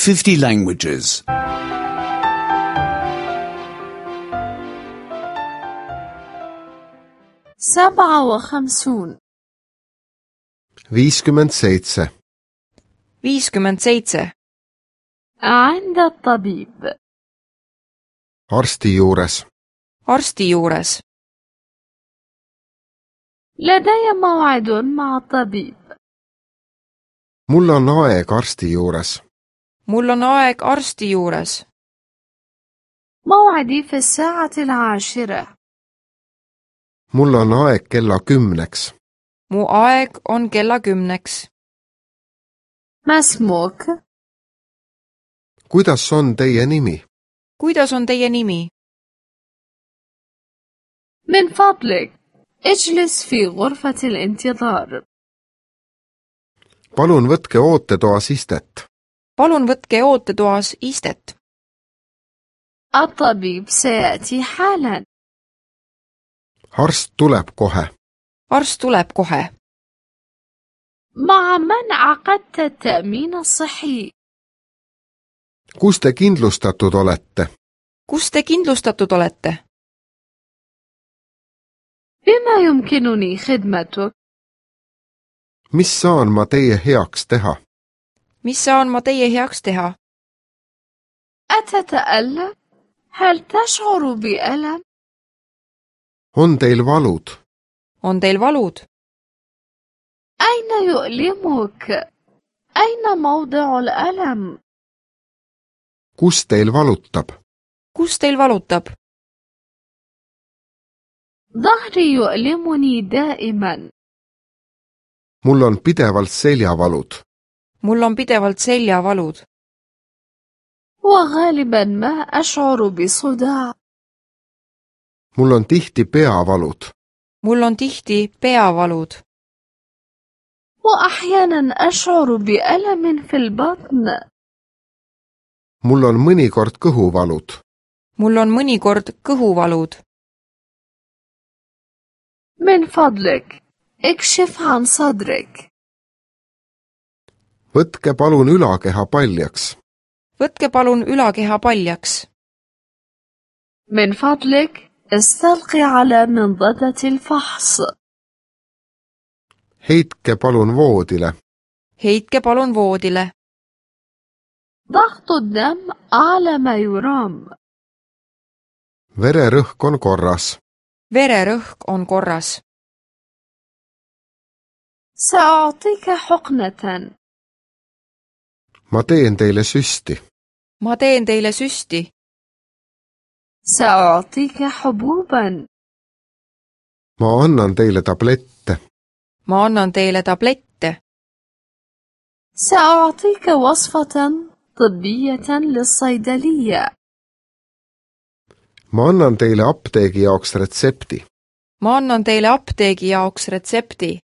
50 languages. 57 57 57 عند الطبيب arsti juures arsti juures لدي موعد مع الطبيب mul on aeg arsti juures mul on aeg arsti juures موعدي في 10:10 mul on aeg kella 10-ks mu aeg on kella 10-ks ما اسمك؟ kuidas on teie nimi kuidas on teie nimi من فضلك اجلس في غرفة الانتظار palun võtke ootetoas istet palun võtke ootetoas istet الطبيب سيأتي حالا arst tuleb kohe arst tuleb kohe مع من عقدت التأمين الصحي kus te kindlustatud olete kus te kindlustatud olete بما يمكنني خدمتك mis saan ma teie heaks teha mis saan ma teie heaks teha أتتألم؟ هل تشعر بألم؟ on teil valud on teil valud أين يؤلمك؟ أين موضع الألم؟ kus teil valutab kus teil valutab ظهري يؤلمني دائما mul on pidevalt seljavalud mul on pidevalt seljavalud وغالبا ما أشعر بصداع mul on tihti peavalud mul on tihti peavalud وأحيانا أشعر بألم في البطن mul on mõnikord kõhuvalud mul on mõnikord kõhuvalud من فضلك اكشف عن صدرك võtke palun ülakeha paljaks võtke palun ülakeha paljaks من فضلك استلقي على منضدة الفحص heitke palun voodile heitke palun voodile ضغط الدم أعلى ما يرام vererõhk on korras vererõhk on korras سأعطيك حقنة ma teen teile süsti ma teen teile süsti سأعطيك حبوبا ma annan teile tablette ma annan teile tablette سأعطيك وصفة طبية للصيدلية ma annan teile apteegi jaoks retsepti ma annan teile apteegi jaoks retsepti